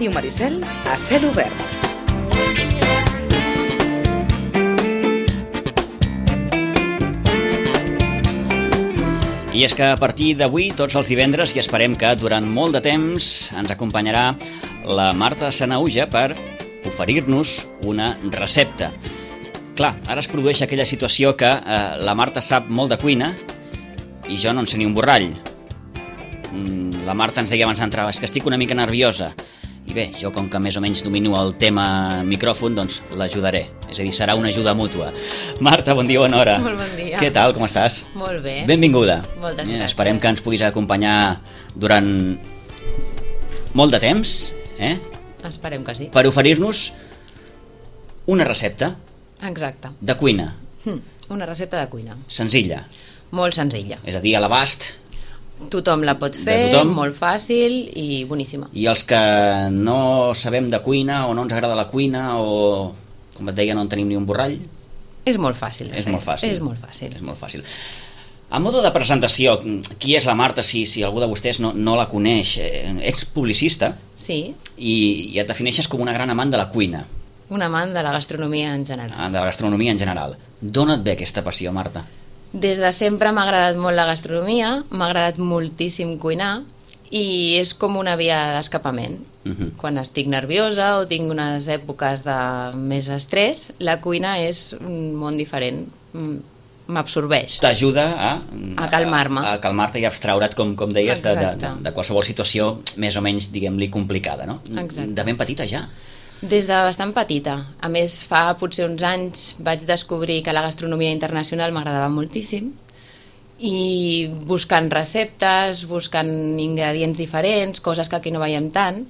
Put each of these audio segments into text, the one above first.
Ràdio Maricel a cel obert. I és que a partir d'avui, tots els divendres, i esperem que durant molt de temps, ens acompanyarà la Marta Sanahuja per oferir-nos una recepta. Clar, ara es produeix aquella situació que la Marta sap molt de cuina i jo no en sé ni un borrall. La Marta ens deia abans d'entrar, és que estic una mica nerviosa. I bé, jo com que més o menys domino el tema micròfon, doncs l'ajudaré. És a dir, serà una ajuda mútua. Marta, bon dia, bona hora. Molt bon dia. Què tal, com estàs? Molt bé. Benvinguda. Moltes gràcies. Esperem que ens puguis acompanyar durant molt de temps, Esperem que sí. per oferir-nos una recepta Exacte. de cuina. Una recepta de cuina. Senzilla. Molt senzilla. És a dir, a l'abast. Tothom la pot fer, tothom. molt fàcil i boníssima. I els que no sabem de cuina o no ens agrada la cuina o, com et deia, no en tenim ni un borrall, És molt fàcil de és fer. molt fàcil. És molt fàcil. És molt fàcil. A modo de presentació, qui és la Marta, si algú de vostès no la coneix? Ets publicista Sí, i et defineixes com una gran amant de la cuina, un amant de la gastronomia en general. de la gastronomia en general. D'on et ve aquesta passió, Marta? Des de sempre m'ha agradat molt la gastronomia, m'ha agradat moltíssim cuinar i és com una via d'escapament. Quan estic nerviosa o tinc unes èpoques de més estrès, la cuina és un món diferent, m'absorbeix. T'ajuda A calmar-me. A calmar-te i abstraure't, com deies, Exacte. de qualsevol situació més o menys, diguem-li, complicada, no? Exacte. De ben petita ja. Des de bastant petita. A més, fa potser uns anys vaig descobrir que la gastronomia internacional m'agradava moltíssim i buscant receptes, buscant ingredients diferents, coses que aquí no veiem tant,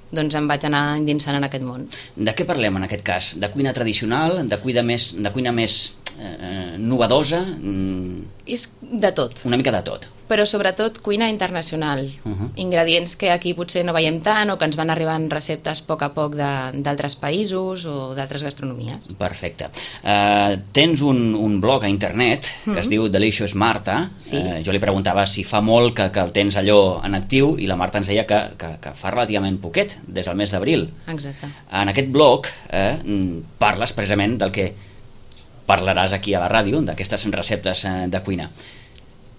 doncs em vaig anar endinsant en aquest món. De què parlem en aquest cas? De cuina tradicional? De cuina més novedosa? És de tot, Una mica de tot. però sobretot cuina internacional. Ingredients que aquí potser no veiem tant o que ens van arribant receptes a poc d'altres països o d'altres gastronomies. Perfecte. Tens un blog a internet que es diu Delicious Marta. Sí. Jo li preguntava si fa molt que el tens allò en actiu i la Marta ens deia que fa relativament poquet, des del mes d'abril. Exacte. En aquest blog parles precisament del que parlaràs aquí a la ràdio, d'aquestes receptes de cuina.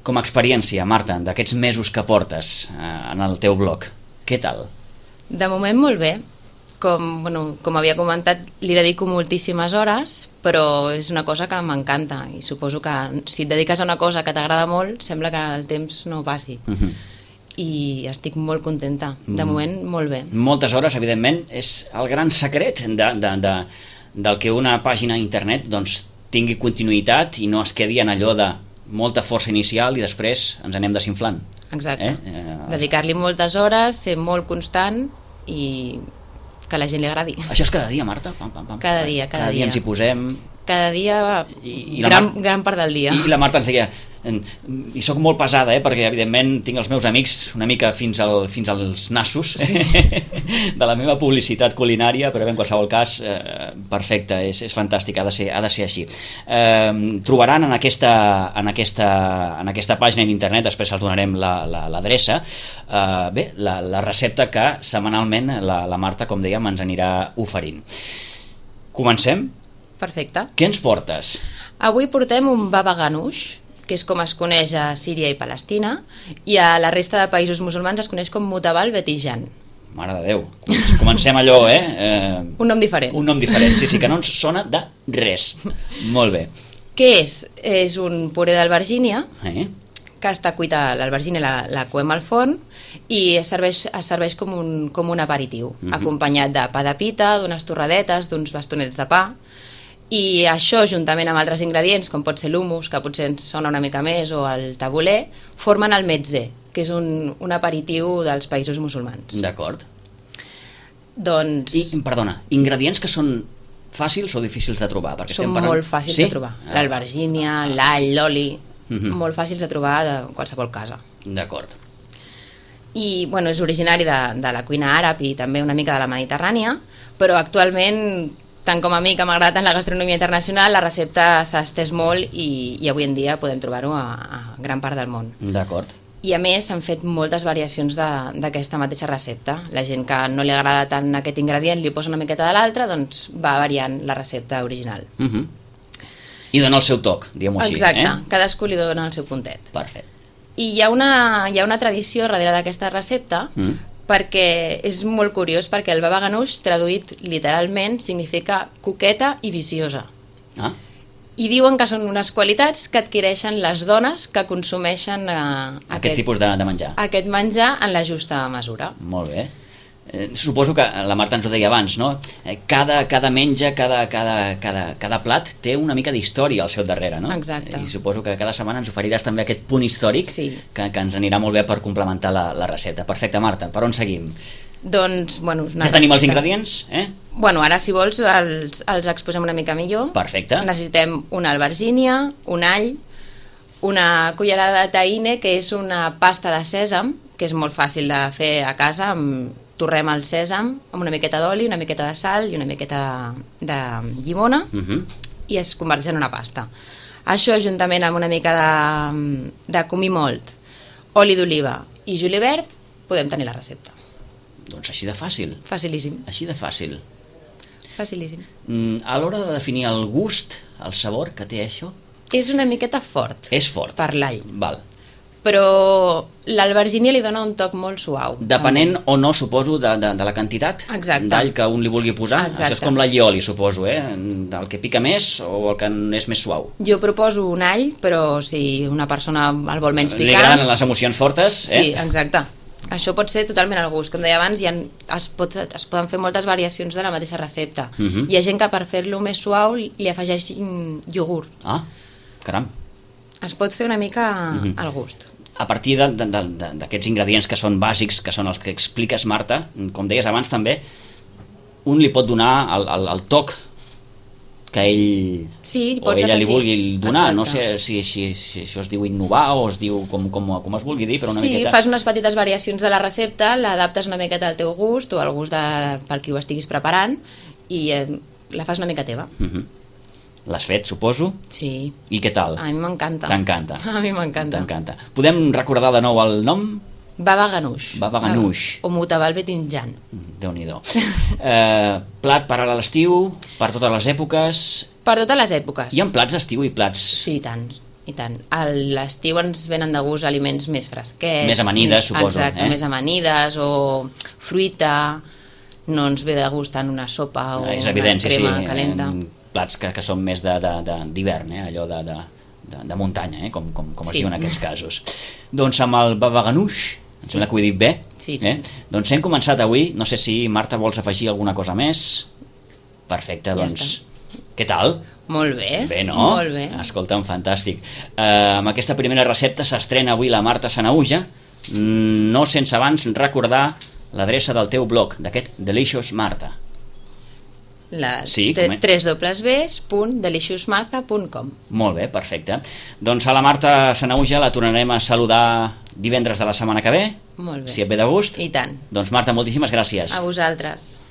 Com a experiència, Marta, d'aquests mesos que portes en el teu blog, què tal? De moment molt bé. Com havia comentat, li dedico moltíssimes hores, però és una cosa que m'encanta i suposo que si et dediques a una cosa que t'agrada molt, sembla que el temps no passi. I estic molt contenta. De moment, molt bé. Moltes hores, evidentment, és el gran secret del que una pàgina a internet doncs, tingui continuïtat i no es quedi en allò de molta força inicial i després ens anem desinflant. Exacte. Dedicar-li moltes hores, ser molt constant i que a la gent li agradi. Això és cada dia, Marta? Pam, pam, pam. Cada dia. Cada dia ens hi posem... Cada dia, I la gran part del dia. I la Marta ens deia, i sóc molt pesada, perquè evidentment tinc els meus amics una mica fins als nassos de la meva publicitat culinària, però en qualsevol cas, perfecte, és fantàstic, ha de ser així. Trobaran en aquesta pàgina d'internet, després els donarem l'adreça, la recepta que setmanalment la Marta, com dèiem, ens anirà oferint. Comencem? Perfecte. Què ens portes? Avui portem un baba ganoush, que és com es coneix a Síria i Palestina, i a la resta de països musulmans es coneix com mutabal betijan. Mare de Déu, comencem allò, Un nom diferent. Un nom diferent, sí, que no ens sona de res. Molt bé. Què és? És un puré d'albergínia, que està cuita, l'albergínia la coem al forn i es serveix com un aperitiu, acompanyat de pa de pita, d'unes torradetes, d'uns bastonets de pa. I això, juntament amb altres ingredients, com pot ser l'humus, que potser ens sona una mica més, o el tabuler, formen el metzé, que és un aperitiu dels països musulmans. D'acord. Doncs... Perdona, ingredients que són fàcils o difícils de trobar? Són molt fàcils de trobar. L'albergínia, l'all, l'oli, molt fàcils de trobar de qualsevol casa. D'acord. I és originari de la cuina àrab i també una mica de la Mediterrània, però actualment, tant com a mi que m'agrada tant la gastronomia internacional, la recepta s'ha estès molt i avui en dia podem trobar-ho a gran part del món. D'acord. I a més s'han fet moltes variacions d'aquesta mateixa recepta. La gent que no li agrada tant aquest ingredient li posa una miqueta de l'altre, doncs va variant la recepta original. I dona el seu toc, diguem-ho així. Exacte, cadascú li dona el seu puntet. Perfecte. I hi ha una tradició darrere d'aquesta recepta, perquè és molt curiós, perquè el baba ganoush, traduït literalment, significa coqueta i viciosa. I diuen que són unes qualitats que adquireixen les dones que consumeixen aquest tipus de menjar. Aquest menjar en la justa mesura. Molt bé. Suposo que la Marta ens ho deia abans, no? Cada menja, cada plat té una mica d'història al seu darrere, no? Exacte. I suposo que cada setmana ens oferiràs també aquest punt històric que ens anirà molt bé per complementar la recepta. Perfecte, Marta, per on seguim? Doncs, bueno... Ja tenim els ingredients, Bueno, ara, si vols, els exposem una mica millor. Perfecte. Necessitem una albergínia, un all, una cullerada de tahine, que és una pasta de sèsam, que és molt fàcil de fer a casa. Torrem el sèsam amb una miqueta d'oli, una miqueta de sal i una miqueta de llimona i es converteix en una pasta. Això, juntament amb una mica de comí mòlt, oli d'oliva i julivert, podem tenir la recepta. Doncs així de fàcil. Facilíssim. Així de fàcil. Facilíssim. A l'hora de definir el gust, el sabor que té això... És una miqueta fort. És fort. Per l'all. Val. Però l'albergínia li dona un toc molt suau. Depenent o no, suposo, de la quantitat d'all que un li vulgui posar. Exacte. Això és com l'allioli, suposo, del que pica més o el que és més suau. Jo proposo un all, però si una persona el vol menys picant... Li agraden les emocions fortes, Sí, exacte. Això pot ser totalment al gust. Com deia abans, es poden fer moltes variacions de la mateixa recepta. Hi ha gent que per fer-lo més suau li afegeix iogurt. Ah, caram. Es pot fer una mica al gust. A partir d'aquests ingredients que són bàsics, que són els que expliques, Marta, com deies abans també, un li pot donar el toc que ell o ella li vulgui donar. No sé si això es diu innovar o es diu com es vulgui dir, però una miqueta... Sí, fas unes petites variacions de la recepta, l'adaptes una miqueta al teu gust o al gust per qui ho estiguis preparant i la fas una mica teva. L'has fet, suposo? Sí. I què tal? A mi m'encanta. T'encanta? A mi m'encanta. T'encanta. Podem recordar de nou el nom? Baba ganoush. Baba ganoush. O mutabal betinjan. Déu-n'hi-do. Plat per a l'estiu, per totes les èpoques... Per totes les èpoques. Hi ha plats d'estiu i plats... Sí, i tant. I tant. A l'estiu ens venen de gust aliments més fresquets. Més amanides, suposo. Exacte, més amanides o fruita. No ens ve de gust tant una sopa o és evident, una crema calenta. Plats que són més d'hivern, allò de muntanya, com es diu en aquests casos. Doncs amb el baba ganoush, em sembla que ho he dit bé, doncs hem començat avui. No sé si, Marta, vols afegir alguna cosa més? Perfecte, doncs què tal? Molt bé. Bé, no? Molt bé. Escolta'm, fantàstic. Amb aquesta primera recepta s'estrena avui la Marta Sanahuja, no sense abans recordar l'adreça del teu blog, d'aquest Delicious Marta. www.deliciousmartha.com. Molt bé, perfecte. Doncs a la Marta Sanahuja la tornarem a saludar divendres de la setmana que ve. Molt bé. Si et ve de gust. I tant. Doncs Marta, moltíssimes gràcies. A vosaltres.